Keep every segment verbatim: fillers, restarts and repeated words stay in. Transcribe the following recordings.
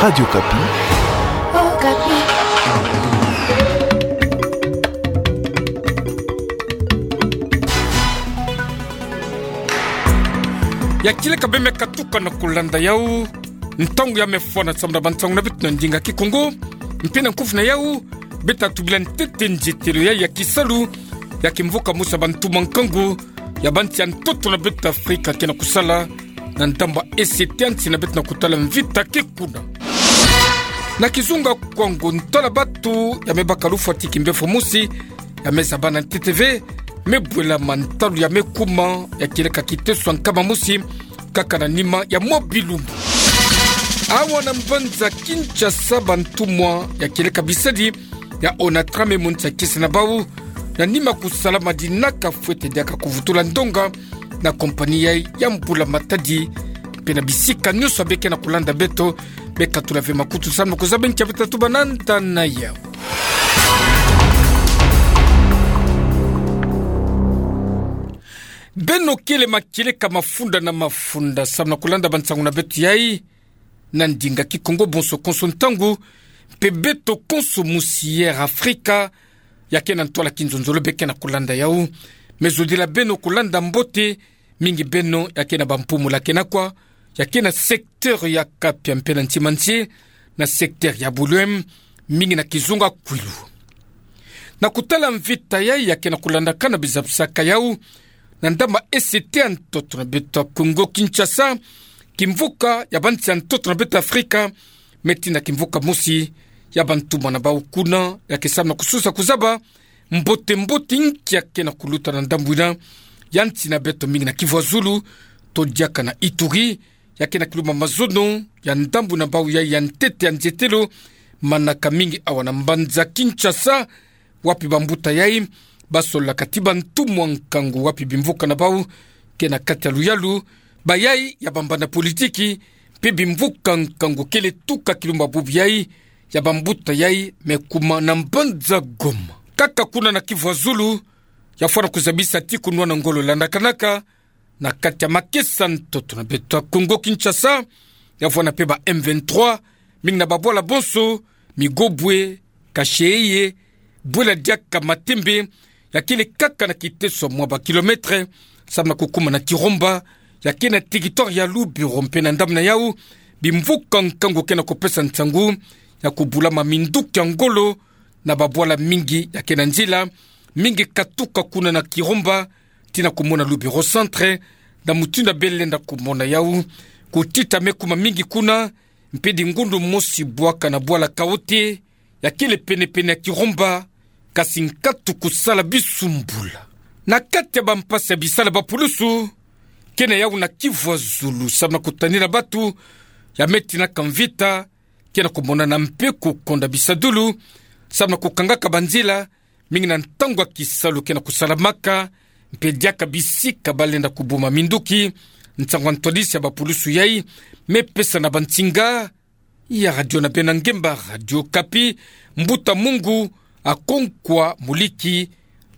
Radio Okapi. Okapi. Ya kieleka beme katuka na kulanda yau. Ntangu ya me fana samda ba ntangu na beto na ndinga Kikongo. Mpe na nkufi na yau, beta tubila ntete nzietelo ya, ya kisalu ya kimvuka mosi ya bantumwa nkangu ya bansi ya ntoto na beto Afrika ke na kusala na ndambu ese te ya nsi na beto na kutala mvita ke kuna. Na kizunga kwango, ntwala batu ya me baka lufwa ti kimbefo mosi ya me zaba na ntete ve, me bwela mantalu ya me kuma ya kieleka kiteso ya nkama mosi, kaka na nima ya mwa bilumbu. Awa na mbanza Kinshasa, bantumwa ya kieleka bisadi ya Onatra me monisa kiese na bau na nima kusala madinaka fwete diaka kuvutula ndonga na kompani ya, ya mbula matadi. Mpe na bisika nyonso ya beke na kulanda beto, bekatula ve makutu samu na kuzaba nkia beta tuba na nda na yau. Beno kele makieleka mafunda na mafunda samu na kulanda bansangu na beto yai na ndinga Kikongo bonso konso ntangu, mpe beto konso mosi ya Air Afrika ya ke na ntwala kinzonzolo beke na kulanda yau. Me zodila beno kulanda mbote, mingi beno ya ke na bampumula ke na kwa, ya ke na secteur ya Kapia mpe na Ntimantie, na secteur ya Buluem, mingi na kizunga Kwilu. Na kutala mvita yai ya ke na kulandakana bizabisaka yau na ndambu ese te ya ntoto na beto ya Kongo Kinshasa, kimvuka ya bansi ya ntoto na beto Afrika, me tina kimvuka mosi ya bantumwa na bau kuna ya ke samu na kususa kuzaba mbote mbote nki ya ke na kuluta na ndambu ina ya nsi na beto, mingi na Kivu ya Zulu, to diaka na Ituri, ya ke na kilumba mazono ya ndambu na bau yai ya ntete ya nzietelo. Manaka mingi awa na mbanza Kinshasa, wapi bambuta yai basolaka ti bantumwa nkangu, wapi bimvuka na bau ke na kati ya luyalu, bayai ya bambanda politiki, mpe bimvuka nkangu kele tuka kilumba bubu yai ya bambuta yai me kuma na mbanza Goma. Kaka kuna na Kivu ya Zulu, ya fwana kuzabisa ti kunwana ngolo landakanaka na kati ya makesa ntoto na beto ya Kongo Kinshasa, ya fwana mpe ba M vingt-trois, mingi na babwala bonso, Migobwe, Kasheye, bwela diaka Matembe, ya kele kaka na kiteso mwa ba kilomètre, samu na kukuma na Kiromba, ya ke na territoire ya Lubero. Mpe na ndambu na yau, bimvuka nkangu ke na kupesa nsangu ya kubulama minduki ya ngolo na babwala mingi ya ke na nzila, mingi katuka kuna na Kiromba tina kumona Lubero Centre, na mutindu ya bele lenda kumona yau, kutita me kuma mingi kuna, mpe dingundu mosi bwaka na bwala Kaote, ya kele penepene ya Kiromba, kasi nkatu kusala bisumbula. Na kati ya bampasi ya bisalu ya bapulusu, ke na yau na Kivu ya Zulu, samu na kutanina batu ya me tinaka mvita, ke na kumonana mpe kukonda bisadulu, samu na kukangaka banzila, mingi na ntangu ya kisalu ke na kusalamaka, mpe diaka bisika balenda kubuma minduki. Nsangu ya ntwadisi ya bapulusu yai me pesa na bansinga ya radio na beno ya ngemba, Radio Okapi, Mbuta Mungu Akonkwa Muliki,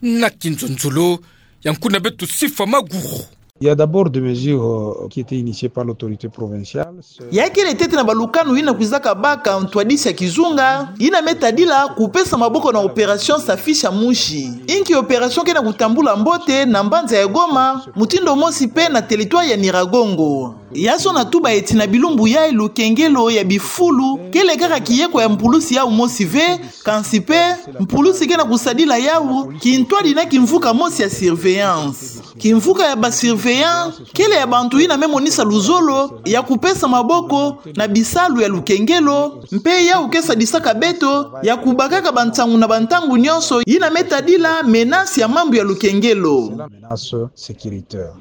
na kinzonzolo ya nkuna beto Sifa Maguru. Il y a d'abord des mesures, euh, qui étaient initiées par l'autorité provinciale. Ya kele ntete na balukanu yina kwizaka baka ntwadisi ya kizunga, yina me tadila kupesa maboko na opération Safisha Mushi. Inki opération ke na kutambula mbote na mbanza ya Goma, mutindu mosi mpe na territoire ya Nyiragongo. Ya sona tuba eti na bilumbu yai lukengelo ya bifulu kele kaka kiyeko ya mpulusi yau mosi ve, kansi mpe mpulusi ke na kusadila yau kintwadi na kimvuka mosi ya surveillance. Kimvuka ya ba surveillant kele ya bantu yina me monisa luzolo ya kupesa maboko na bisalu ya lukengelo, mpe yau ke sadisaka beto ya kubakaka bansangu na bantangu nyonso yina me tadila menace ya mambu ya lukengelo. Menace sécuritaire.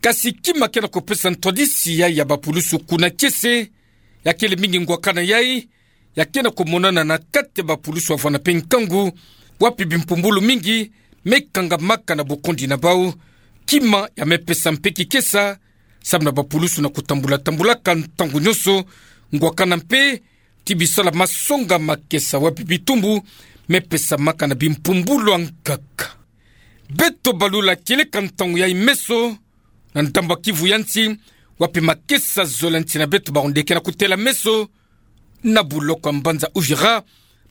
Kasi kima ke na kupesa ntwadisi yai ya bapulusu kuna kiese, ya kele mingi ngwakana yai ya ke na kumonana na kati ya bapulusu wavana mpe nkangu, wapi bimpumbulu mingi me kangamaka na bukondi na bau. Kima ya me pesa mpe kikesa, samu na bapulusu na kutambula-tambulaka ntangu nyonso, ngwakana mpe ti bisalu ya masonga makesa, wapi bitumbu me pesamaka na bimpumbulu ya nkaka. Beto balula kieleka ntangu yai meso na ndambu ya Kivu ya nsi, wapi makesa zole ya nsi na beto baonde ke na kutela meso, na buloko ya mbanza Uvira,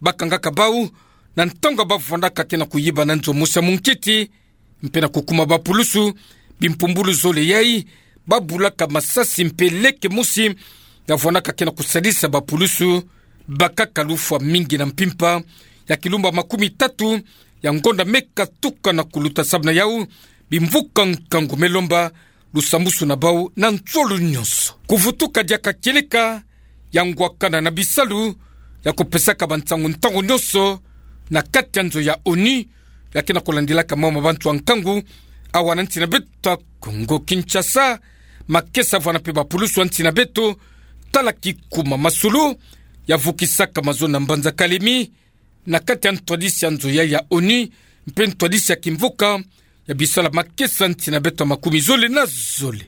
bakangaka bau na ntangu bavwandaka ke na kuyiba na nzo mosi ya munkiti, mpe na kukuma bapulusu, bimpumbulu zole yai, babulaka masasi mpe leke mosi, ya vwandaka ke na kusadisa bapulusu, bakaka lufwa mingi na mpimpa ya kilumba makumi tatu ya ngonda me katuka na kuluta. Samu na yau, bimvuka nkangu me lomba lusambwasu na bau na nzolo nyonso. Kuvutuka diaka kieleka ya ngwakana na bisalu ya kupesaka bansangu ntangu nyonso na kati ya nzo ya ONU, ya ke na kulandilaka mama bantu ya nkangu awa na nsi na beto ya Kongo Kinshasa. Makesa vwanda mpe bapulusu ya nsi na beto, tala kikuma masolo ya vukisaka mazono na mbanza Kalemi, na kati ya ntwadisi ya nzo yai ya ONU, mpe ntwadisi ya kimvuka ya bisalu ya makesa nsi na beto ya makumi zole na zole.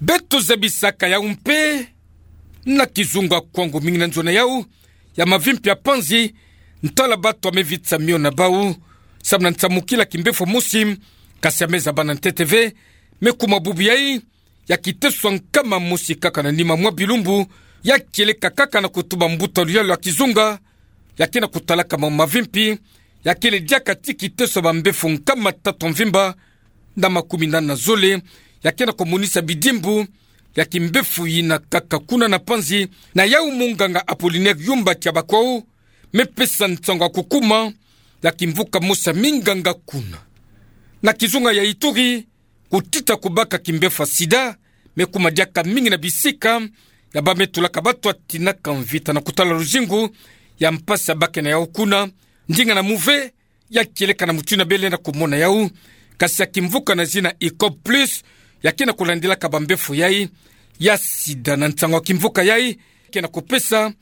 Beto zabisaka yau mpe na kizunga kwangu mingi na nzo na yau ya mavimpi ya panzi, ntala bato ya me vitsa mio na bau samu na nsamukila kimbefo mosi, kasi ya me zaba na ntete ve, me kuma bubu yai ya kiteso ya nkama mosi kaka na nima mwa bilumbu, ya kieleka kaka na kutuba mbuta luyalu ya kizunga ya ke na kutalaka mama mavimpi, ya kele diaka ti kiteso ya bambefo nkama tatu ya mvimba na makumi nana na zole, ya ke na kumonisa bidimbu ya kimbefo yina kaka kuna na panzi. Na yau munganga Apollinaire Yumba Kiabakwao me pesa nsangu ya kukuma ya kimvuka mosi ya minganga kuna. Na kizunga ya Ituri, kutita kubaka kimbefo ya sida me kuma diaka mingi na bisika ya ba me tulaka bato ya tinaka mvita na kutala luzingu ya mpasi ya ba ke na yau kuna. Ndinga na muve ya kieleka na mutindu ya bele na kumona yau, kasi ya kimvuka na zina Icop Plus ya ke na kulandilaka bambefo yai ya sida. Na nsangu ya kimvuka yai ke na kupesa,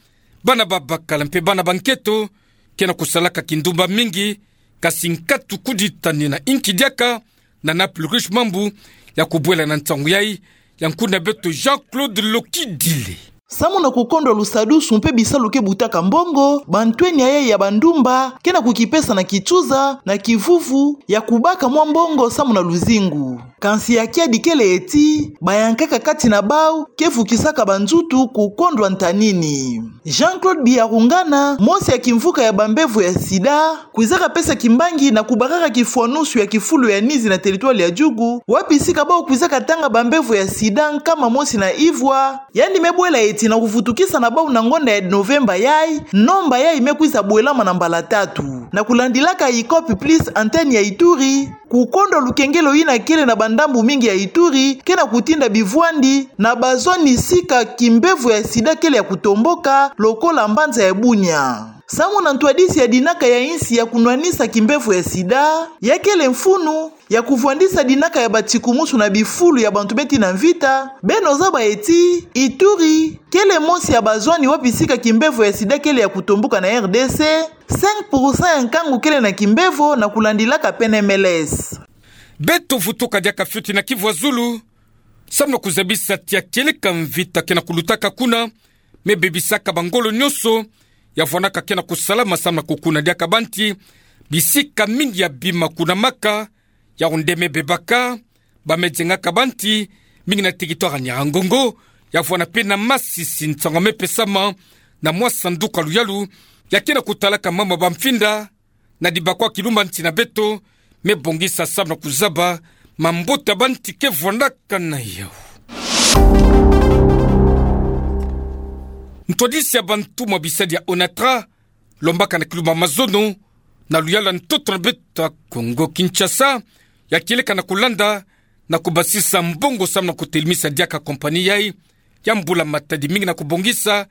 bana babakala mpe bana banketo ke na kusalaka kindumba mingi, kasi nkatu kuditani na inki diaka na Naples Riche Mambu ya kubwela na nsangu yai ya nkuna beto Jean-Claude Lokidile. Samu na kukondwa lusadusu mpe bisalu ke butaka mbongo, bantwenia yai ya bandumba ke na kukipesa na kituza na kivuvu ya kubaka mwa mbongo samu na luzingu. Kansi ya kiadi kele ti bayankaka kati na bau ke vukisaka banzutu kukondwa ntanini. Jean-Claude Biyarungana, mosi ya kimvuka ya bambevo ya sida, kwizaka pesa kimbangi na kubakaka kifwanusu ya kifulu ya Nizi na territoire ya Djugu, wapi sika bau kwizaka tanga bambevo ya sida nkama mosi na ivwa, yandi me bwela ti na kuvutukisa na bau na ngonda ya Novemba yai, nomba yai me kwiza bwelama na mbala tatu. Na kulandilaka Icop Plus, antenne ya Ituri, kukondwa lukengelo yina kele na bandambu mingi ya Ituri ke na kutinda bivwandi na bazoni sika kimbevo ya sida kele ya kutomboka, lokola mbanza ya Bunia. Samu na ntwadisi ya dinaka ya insi ya kunwanisa kimbevo ya sida, ya kele mfunu ya kuvwandisa dinaka ya batikumusu na bifulu ya bantu beti na mvita, beno zaba ti Ituri kele mosi ya bazoni wapi sika kimbevo ya sida kele ya kutomboka na R D C, cinq pour cent ya nkangu kele na kimbevo, na kulandilaka P N M L S. Beto vutuka diaka fioti na Kivu ya Zulu, samu na kuzabisa ti ya kieleka mvita ke na kulutaka kuna me bebisaka bangolo nyonso ya vwandaka ke na kusalama samu na kukuna diaka banti, bisika mingi ya bima kuna Maka, Yaoundé me bebaka, ba me zengaka banti, mingi na territoire ya Nyiragongo, ya vwanda mpe na Masisi. Nsangu me pesama na mwa sanduku ya luyalu ya ke na kutalaka mama bamfinda na dibakwa kilumba nsi na beto, me bongisa samu na kuzaba mambote ya banti ke vwandaka na yau. Ntwadisi ya bantumwa bisadi ya ONATRA, lombaka na kilumba mazono na luyalu ya ntoto na beto ya Kongo Kinshasa, ya kieleka na kulanda na kubasisa mbongo samu na kutelemisa diaka compagnie yai ya mbula-matadi, mingi na kubongisa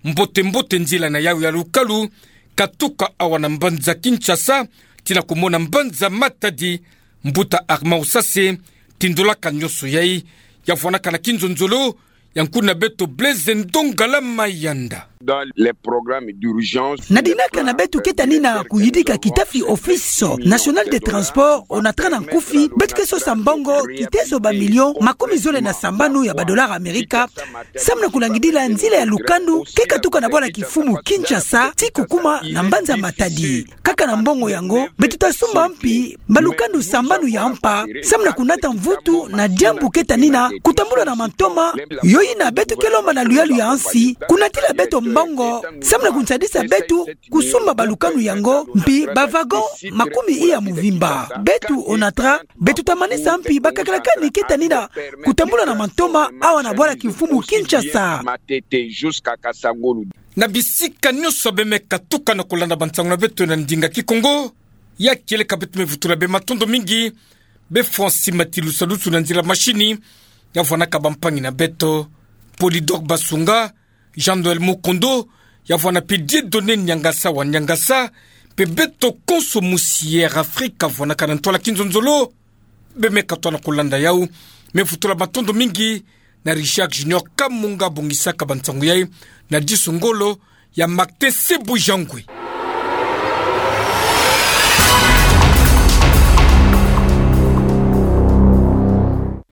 mbote-mbote nzila na yau ya lukalu, katuka awa na mbanza Kinshasa tii na kumona mbanza Matadi. Mbuta Armand Usase tindolaka nyonso yai, ya vwandaka na kinzonzolo ya nkuna beto Blaise Ndongala Mayanda. Dans les programmes d'urgence, na dinaka na beto ke tani na kuyidika kitafi Office National des Transports, ONATRA na nkufi, beto ke sosa mbongo kiteso ba millions makumi zole na sambanu ya ba dollars Amerika, samu na kulangidila nzila ya lukandu ke katuka na bwala kifumu Kinshasa tii kukuma na mbanza Matadi. Kaka na mbongo yango, beto ta sumba mpi mbalukandu sambanu ya mpa, samu na kunata mvutu na diambu ke tani na kutambula na mantoma yo Ina beto ke lomba na luyalu ya nsi, kunatila beto mbongo, samu na kunsadisa beto kusumba balukanu yango, mpi ba wagon makumi iya mvimba. Beto ONATRAH, beto ta manisa mpi bakakalakani ke tanina kutambula na mantoma awa na bwala kimfumu Kinshasa. Na bisika nyonso bê me katuka na kolanda bansangu na beto na ndinga Kikongo, ya kieleka beto me vutula bê matondo mingi bê Francis Matilusalusu na nzila mashini, ya vwanaka bampangi na beto, Polydor Basunga, Jean-Noël Mukondo, ya vwana mpe Dieudonné Niangasa wa Niangasa, mpe beto konso musi Air Afrique vwanaka na ntwala kinzonzolo. Bê me katoa na kolanda yau, me vutula matondo mingi na Richard Junior Kamunga bongisaka bansangu yai, na diso ngolo ya Martin Sebujangwe.